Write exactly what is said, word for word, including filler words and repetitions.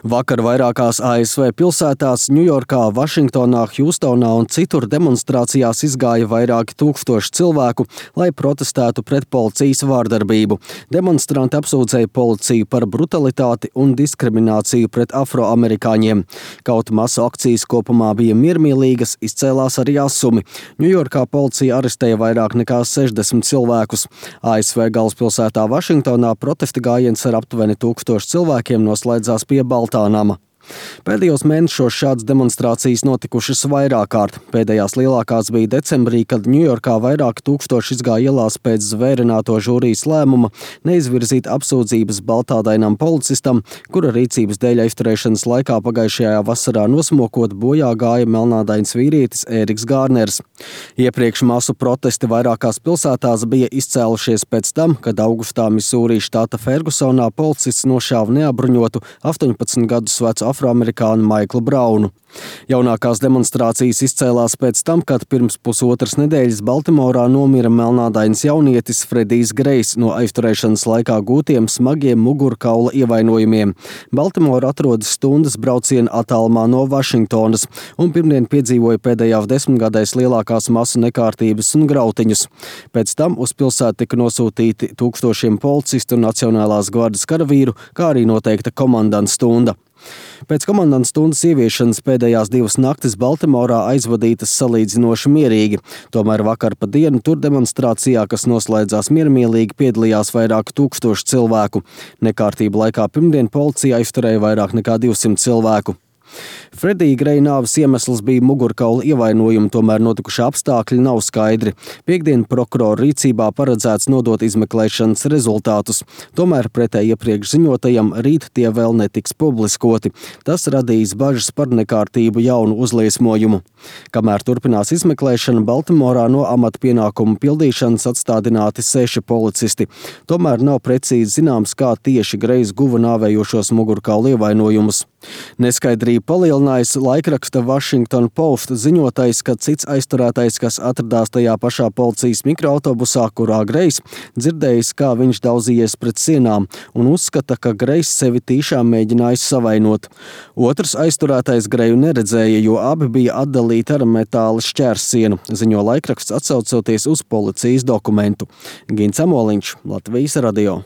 Vakar vairākās A S V pilsētās, Ņujorkā, Vašingtonā, Hjūstonā un citur demonstrācijās izgāja vairāki tūkstoši cilvēku, lai protestētu pret policijas vārdarbību. Demonstranti apsūdzēja policiju par brutalitāti un diskrimināciju pret afroamerikāņiem. Kaut masu akcijas kopumā bija miermīlīgas, izcēlās arī asumi. Ņujorkā policija arestēja vairāk nekā sešdesmit cilvēkus. A S V galvaspilsētā Vašingtonā protesta gājiens ar aptuveni tūkstošu cilvēkiem noslēdzās pie Baltā nama. Pēdējos mēnešos šādas demonstrācijas notikušas vairāk kārt. Pēdējās lielākās bija decembrī, kad Ņujorkā vairāki tūkstoši izgāja ielās pēc zvērināto žūrijas lēmuma neizvirzīt apsūdzības baltādainam policistam, kura rīcības dēļ aizturēšanas laikā pagājušajā vasarā nosmokot bojā gāja melnādains vīrietis Ēriks Gārners. Iepriekš masu protesti vairākās pilsētās bija izcēlušies pēc tam, kad augustā Misūrī štata Fergusonā policists nošāva neapbruņotu astoņpadsmit gadus vecu afroamerikānu Maiklu Braunu. Jaunākās demonstrācijas izcēlās pēc tam, kad pirms pusotras nedēļas Baltimorā nomira melnādains jaunietis Fredijs Grejs no aizturēšanas laikā gūtiem smagiem mugurkaula ievainojumiem. Baltimora atrodas stundas brauciena attālumā no Vašingtonas un pirmdien piedzīvoja pēdējās desmitgadēs lielākās masu nekārtības un grautiņus. Pēc tam uz pilsētu tika nosūtīti tūkstošiem policistu un Nacionālās gvardes karavīru, kā arī noteikta komandanta stunda. Pēc komandanta stundas ieviešanas pēdējās divas naktis Baltimorā aizvadītas salīdzinoši mierīgi. Tomēr vakar pa dienu tur demonstrācijā, kas noslēdzās miermīlīgi, piedalījās vairāk tūkstoši cilvēku. Nekārtību laikā pirmdien policija aizturēja vairāk nekā divsimt cilvēku. Fredija Greja nāves iemesls bija mugurkaula ievainojumi, tomēr notikušie apstākļi nav skaidri. Piektdien prokurora rīcībā paredzēts nodot izmeklēšanas rezultātus. Tomēr pretēji iepriekš ziņotajam rīt tie vēl netiks publiskoti. Tas radīs bažas par nekārtību jaunu uzliesmojumu. Kamēr turpinās izmeklēšana, Baltimorā no amata pienākumu pildīšanas atstādināti seši policisti. Tomēr nav precīzi zināms, kā tieši Grejs guva nāvējošos mugurkaula ievainojumus. Neskaidrību palielinājis laikraksta Washington Post ziņotais, ka cits aizturētais, kas atradās tajā pašā policijas mikroautobusā, kurā Grejs, dzirdējis, kā viņš daudzījies pret sienām un uzskata, ka Grejs sevi tīšām mēģinājis savainot. Otrs aizturētais Greju neredzēja, jo abi bija atdalīti ar metāla šķērsienu, ziņo laikraksts atsaucoties uz policijas dokumentu. Gins Amoliņš, Latvijas radio.